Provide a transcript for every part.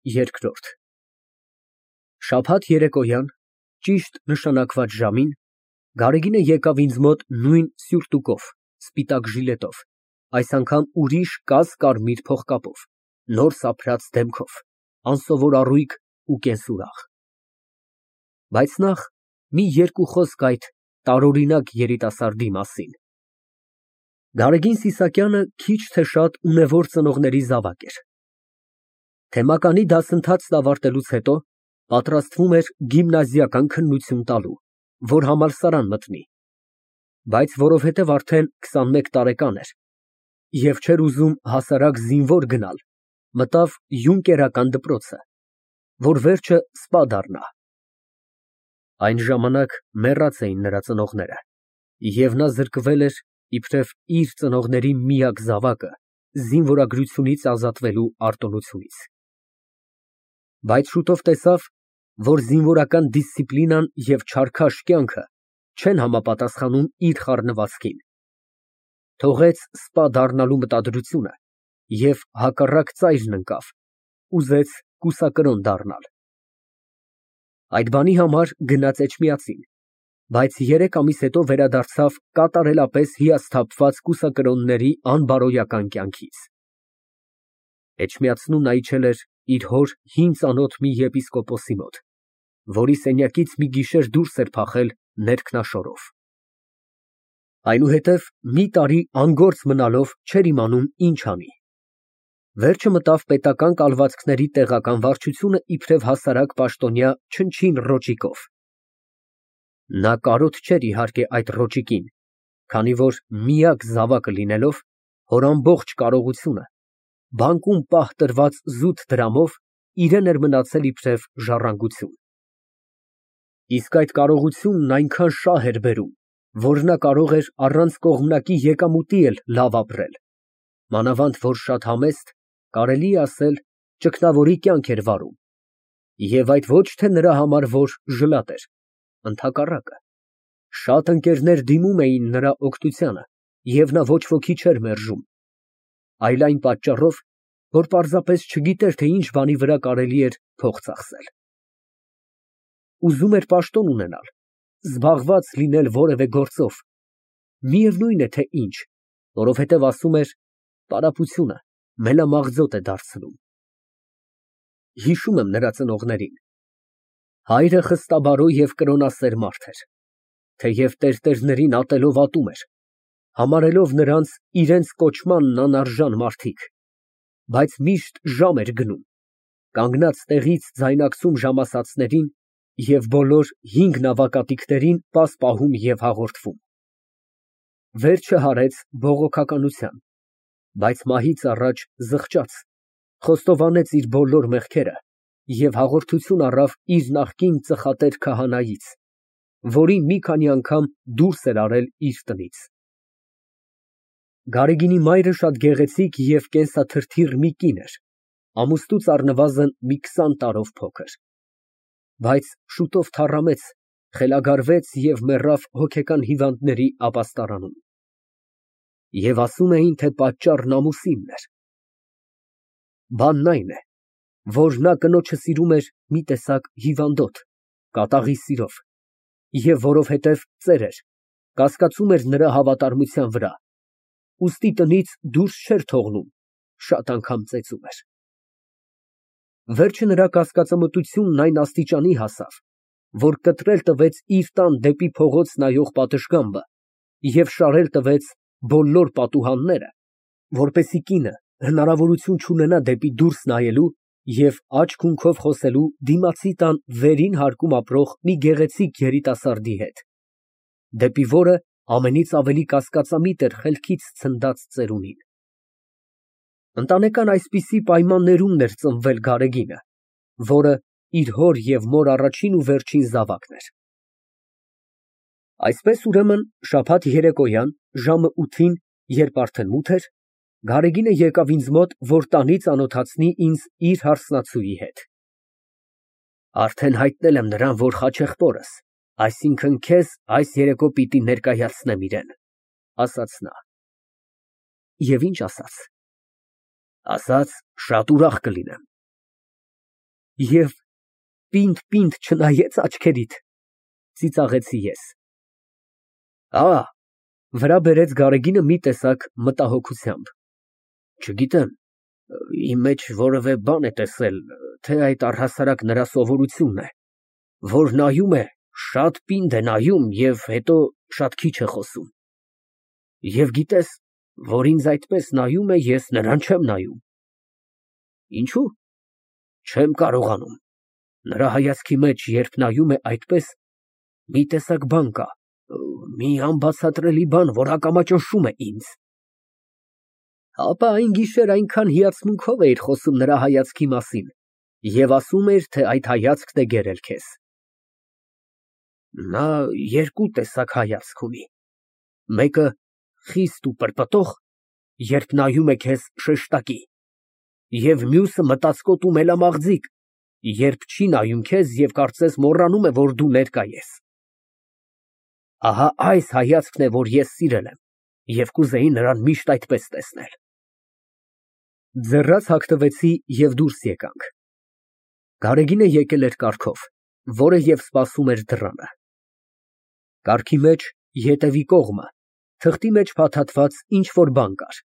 ԵՐԿՐՈՐԴ Շաբաթ երեկոյան ճիշտ նշանակված ժամին Գարեգինը եկավ ինձ մոտ նույն սյուրտուկով, սպիտակ ժիլետով, այս անգամ ուրիշ կաս֊կարմիր փողկապով, նոր սափրած դեմքով, անսովոր առույգ ու կենսուրախ։ Բայց նախ մի երկու խոսք այդ տարօրինակ երիտասարդի մասին։ Գարեգին Սիսակյանը քիչ թե շատ ունևոր ծնողների զավակ էր։ Թեմականի դասընթացն ավարտելուց հետո պատրաստվում էր գիմնազիական քննություն տալու, որ համալսարան մտնի, բայց որովհետև արդեն 21 տարեկան էր և չէր ուզում հասարակ զինվոր գնալ, մտավ յունկերական դպրոցը, որ վերջը սպա դառնա։ Այն ժամանակ մեռած էին նրա ծնողները, և նա զրկվել էր իբրև իր ծնողների միակ զավակը զինվորագրությունից ազատվելու արտոնությունից։ Բայց շուտով տեսավ, որ զինվորական դիսցիպլինան և չարքաշ կյանքը չեն համապատասխանում իր խառնվածքին, թողեց սպա դառնալու մտադրությունը և հակառակ ծայրն ընկավ, ուզեց կուսակրոն դառնալ։ Այդ բանի համար գնաց Էջմիածին, բայց 3 ամիս հետո վերադարձավ կատարելապես հիասթափված կուսակրոնների անբարոյական կյանքից։ Էջմիածնում նա իջել էր իր հոր հին ծանոթ մի եպիսկոպոսի մոտ, որի սենյակից մի գիշեր դուրս էր փախել ներքնաշորով։ Այնուհետև մի տարի անգործ մնալով չէր իմանում ինչ անի։ Վերջը մտավ պետական կալվածքների տեղական վարչությունը իբրև հասարակ պաշտոնյա չնչին ռոճիկով։ Նա կարոտ չէր իհարկե այդ ռոճիկին, քանի որ միակ զավակը լինելով, հոր ամբողջ կարողությունը, բանկում պահ տրված զուտ դրամով իրան էր մնացել իբրև ժառանգություն։ Իսկ այդ կարողությունն այնքան շահ էր բերում, որ նա կարող էր առանց կողմնակի եկամուտի էլ լավ ապրել, մանավանդ որ շատ համեստ, կարելի է ասել, ճգնավորի կյանք էր վարում, և այդ ոչ թե նրա համար, որ ժլատ էր, ընդհակառակը, շատ ընկերներ դիմում էին նրա օգնությանը, և նա ոչ ոքի չէր մերժում, այլ այն պատճառով, որ պարզապես չգիտեր, թե ինչ բանի վրա կարելի էր փող ծախսել։ Ուզում էր պաշտոն ունենալ, զբաղված լինել որևէ գործով, միևնույն է թե ինչ, որովհետև ասում էր, պարապությունը մելամաղձոտ է դարձնում։ Հիշում եմ նրա ծնողներին։ Հայրը խստաբարո և կրոնասեր մարդ էր, թեև տերտերներին ատելով ատում էր, համարելով նրանց իրենց կոչմանն անարժան մարդիկ, բայց միշտ ժամ էր գնում, կանգնած տեղից ձայնարկում ժամասացներին և բոլոր 5 նավակատիքներին պաս պահում և հաղորդվում։ Վերջը հարեց բողոքականության, բայց մահից առաջ զղջաց, խոստովանեց իր բոլոր մեղքերը և հաղորդություն առավ իր նախկին ծխատեր քահանայից, որին մի քանի անգամ դուրս էր արել իր տնից։ Գարեգինի մայրը շատ գեղեցիկ և կենսաթրթիռ մի կին էր, ամուսնուց առնվազն մի 20 տարով փոքր, բայց շուտով թառամեց, խելագարվեց և մեռավ հոգեկան հիվանդների ապաստարանում։ Եվ ասում էին, թե պատճառն ամուսինն էր։ Բանն այն է, որ նա կնոջը սիրում էր մի տեսակ հիվանդոտ, կատաղի սիրով, և որովհետև ծեր էր, կասկածում էր նրա հավատարմության վրա, ուստի տնից դուրս չէր թողնում, շատ անգամ ծեծում էր։ Վերջը նրա կասկածամտությունն այն աստիճանի հասավ, որ կտրել տվեց իր տան դեպի փողոց նայող պատշգամբը և շարել տվեց բոլոր պատուհանները, որպեսզի կինը հնարավորություն չունենա դեպի դուրս նայելու և աջ հունքով խոսելու դիմացի տան վերին հարկում ապրող մի գեղեցիկ երիտասարդի հետ, դեպի որը ամենից ավելի կասկածամիտ էր խելքից ցնդած ծերունին։ Ընտանեկան այսպիսի պայմաններումն էր ծնվել Գարեգինը, որը իր հոր և մոր առաջին ու վերջին զավակն էր։ Այսպես, ուրեմն, շաբաթ երեկոյան ժամը 8-ին, երբ արդեն մութ էր, Գարեգինը եկավ ինձ մոտ, որ տանի ծանոթացնի ինձ իր հարսնացուի հետ։ Արդեն հայտնել եմ նրան, որ խաչեղբորս, այսինքն քեզ այս երեկո պիտի ներկայացնեմ իրան, ասաց նա։ Եվ ինչ ասաց։ Ասաց, շատ ուրախ կլինեմ։ Եվ պինդ չնայեց աչքերիդ, ծիծաղեցի ես։ Վրա բերեց Գարեգինը մի տեսակ մտահոգությամբ։ Չգիտեմ, իմ մեջ որևէ բան է տեսել, թե այդ առհասարակ նրա սովորությունն է, որ նայում է, շատ պինդ է նայում և հետո շատ քիչ է խոսում։ Եվ գիտես, որ ինձ այդպես նայում է, ես նրան չեմ նայում։ Ինչու՞։ Չեմ կարողանում։ Նրա հայացքի մեջ, երբ նայում է այդպես, մի տեսակ բան կա, մի անբացատրելի բան, որ ակամա ճնշում է ինձ։ Ապա այն գիշեր այնքան հիացմունքով էիր խոսում նրա հայացքի մասին և ասում էր, թե այդ հայացքն է գերել քեզ։ Նա երկու տեսակ հայացք ունի։ Մեկը խիստ ու պրպտող, երբ նայում է քեզ շեշտակի, և մյուսը մտածկոտ ու մելամաղձիկ, երբ չի նայում քեզ և կարծես մոռանում է, որ դու ներկա ես։ Ահա այս հայացքն է, որ ես սիրել եմ և կուզեի նրան միշտ այդպես տեսնել։ Ձեռաց հագնվեցի և դուրս եկանք։ Գարեգինը եկել էր կառքով, որը և սպասում էր դռանը։ Կառքի մեջ, ետևի կողմը, թղթի մեջ փաթաթված ինչ֊որ բան կար,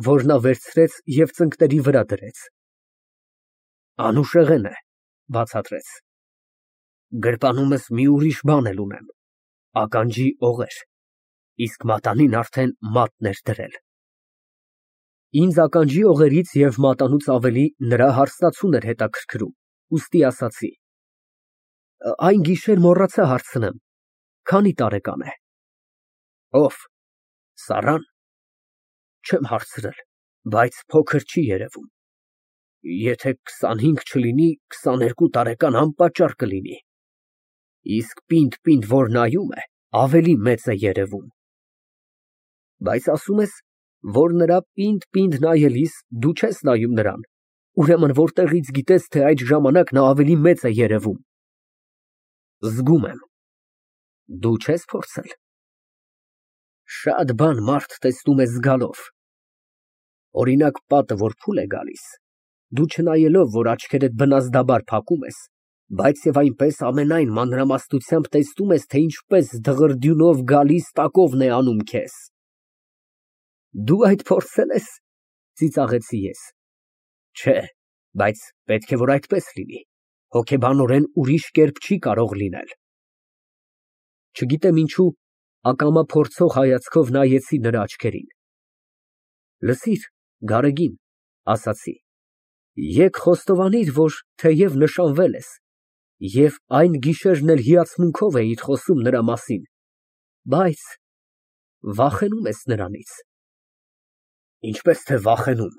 որ նա վերցրեց և ծնկների վրա դրեց։ Անուշեղեն է, բացատրեց։ Գրպանումս մի ուրիշ բան էլ ունեմ, ականջի օղեր, իսկ մատանին արդեն մատն էր դրել։ Ինձ ականջի օղերից և մատանուց ավելի նրա հարսնացուն էր հետաքրքրում, ուստի ասացի. Այն գիշեր մոռացա հարցնեմ, քանի տարեկան է։ Ով, Սառան։ Չեմ հարցրել, բայց փոքր չի երևում։ Եթե 25 չլինի, 22 տարեկան անպատճառ կլինի։ Իսկ պինդ, որ նայում է, ավելի մեծ է երևում։ Բայց ասում ես, որ նրա պինդ նայելիս դու չես նայում նրան, ուրեմն որտեղից գիտես, թե այդ ժամանակ նա ավելի մեծ է երևում։ Զգում եմ։ Դու չես փորձել։ Շատ բան մարդ տեսնում է զգալով։ Օրինակ, պատը, որ փուլ է գալիս, դու չնայելով, որ աչքերդ բնազդաբար փակում ես, բայց և այնպես ամենայն մանրամասնությամբ տեսնում ես, թե ինչպես դղրդյունով գալիս տակովն է անում քեզ։ Դու այդ փորձել ես, ծիծաղեցի ես։ Չէ, բայց պետք է որ այդպես լինի, հոգեբանորեն ուրիշ կերպ չի կարող լինել։ Չգիտեմ ինչու, ակամա փորձող հայացքով նայեցի նրա աչքերին։ Լսիր, Գարեգին, ասացի, եկ խոստովանիր, որ թեև նշանվել ես, և այն գիշերն էլ հիացմունքով էիր խոսում նրա մասին, բայց վախենում ես նրանից։ Ինչպես թե վախենում,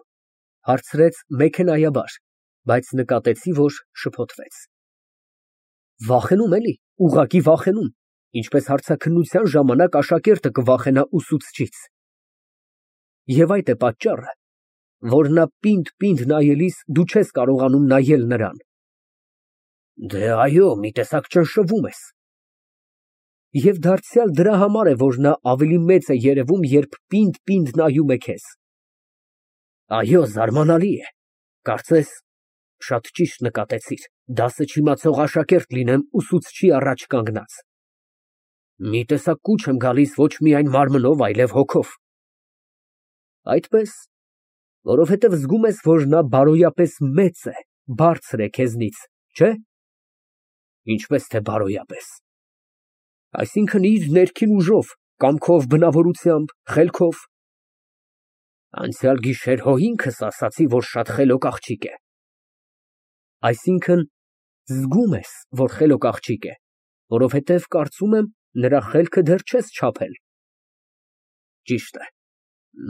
հարցրեց մեքենայաբար, բայց նկատեցի, որ շփոթվեց։ Վախենում էլի, ուղղակի վախենում, ինչպես հարցաքննության ժամանակ աշակերտը կվախենա ուսուցչից։ Եվ այդ է պատճառը, որ նա պինդ նայելիս դու չես կարողանում նայել նրան։ Դե այո, մի տեսակ ճնշվում ես։ Եվ դարձյալ դրա համար է, որ նա ավելի մեծ է երևում, երբ պինդ նայում է քեզ։ Այո, զարմանալի է, կարծես շատ ճիշտ նկատեցիր, դասը չիմացող աշակերտ լինեմ ուսուցչի առաջ կանգնած։ Մի տեսակ կուչ եմ գալիս ոչ միայն մարմնով, այլև հոգով։ Այդպես, որովհետև զգում ես, որ նա բարոյապես մեծ է, բարձր է քեզնից, չէ՞։ Ինչպես թե բարոյապես։ Այսինքն իր ներքին ուժով, կամքով, բնավորությամբ, խելքով։ Անցյալ գիշեր հո ինքս ասացի, որ շատ խելոք աղջիկ է։ Այսինքն զգում ես, որ խելոք աղջիկ է, որովհետև կարծում եմ, նրա խելքը դեռ չես չափել։ Ճիշտ է,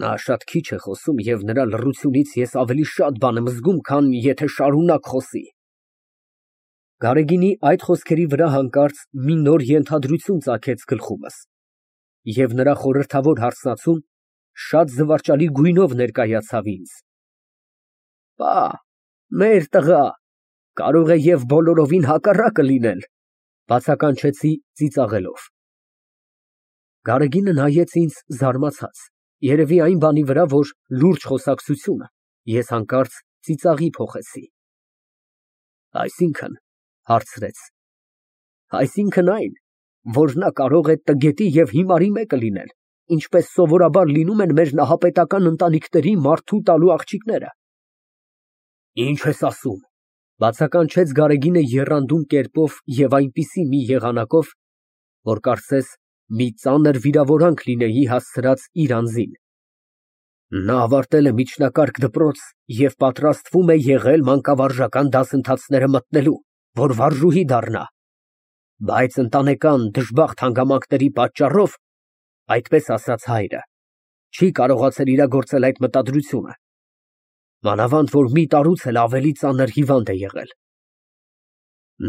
նա շատ քիչ է խոսում և նրա լռությունից ես ավելի շատ բան եմ զգում, քան եթե շարունակ խոսի։ Գարեգինի այդ խոսքերի վրա հանկարծ մի նոր ենթադրություն ծագեց գլխումս, և նրա խորհրդավոր հարսնացուն շատ զվարճալի գույնով ներկայացավ ինձ։ Պա, մեր տղա, կարող է և բոլորովին հակառակը լինել, բացականչեցի ծիծաղելով։ Գարեգինը նայեց ինձ զարմացած, երևի այն բանի վրա, որ լուրջ խոսակցությունը ես հանկարծ ծիծաղի փոխեցի։ Այսինքն, հարցրեց, այսինքն այն, որ նա կարող է տգետի և հիմարի մեկը լինել, ինչպես սովորաբար լինում են մեր նահապետական ընտանիքների մարդու տալու աղջիկները։ Ինչ ես ասում, բացականչեց Գարեգինը եռանդուն կերպով և այնպիսի մի եղանակով, որ կարծես մի ծանր վիրավորանք լինեի հասցրած իր անձին։ Նա ավարտել է միջնակարգ դպրոց և պատրաստվում է եղել մանկավարժական դասընթացները մտնելու, որ վարժուհի դառնա, բայց ընտանեկան դժբախտ հանգամանքների պատճառով, այդպես ասաց հայրը, չի կարողացել իրագործել այդ մտադրությունը, մանավանդ որ մի տարուց էլ ավելի ծանր հիվանդ է եղել։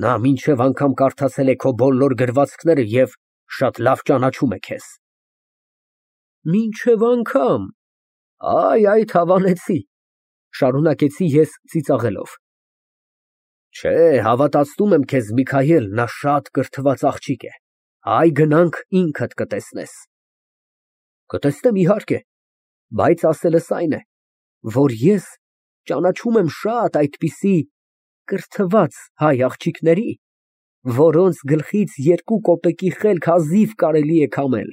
Նա մինչև անգամ կարդացել է քո բոլոր գրվածքները և շատ լավ ճանաչում է քեզ։ Մինչև անգամ, այդ հավանեցի, շարունակեցի ես ծիծաղելով։ Չէ, հավատացնում եմ քեզ, Միքայել, նա շատ կրթված աղջիկ է, գնանք ինքդ կտեսնես։ Կտեսնեմ, իհարկե, բայց ասելս այն է, որ ես ճանաչում եմ շատ այդպիսի կրթված հայ աղջիկների, որոնց գլխից 2 կոպեկի խելք հազիվ կարելի է քամել։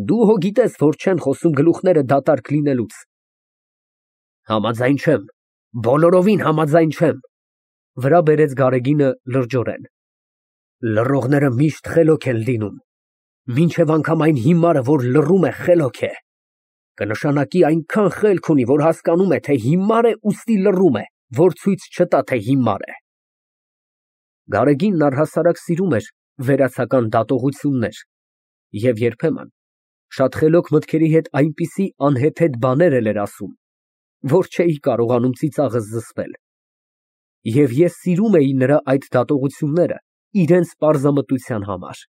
Դու հո գիտես, որ չեն խոսում գլուխները դատարկ լինելուց։ Համաձայն չեմ, բոլորովին համաձայն չեմ, վրա բերեց Գարեգինը լրջորեն։ Լռողները միշտ խելոք են լինում, մինչև անգամ այն հիմարը, որ լռում է, խելոք է, կնշանակի այնքան խելք ունի, որ հասկանում է, թե հիմար է, ուստի լռում է, որ ցույց չտա, թե հիմար է։ Գարեգինն առհասարակ սիրում էր վերացական դատողություններ և երբեմն շատ խելոք մտքերի հետ այնպիսի անհեթեթ բաներ էր ասում, որ չէի կարողանում ծիծաղս զսպել։ Եվ ես սիրում էի նրա այդ դատողությունները իրենց պարզամտության համար։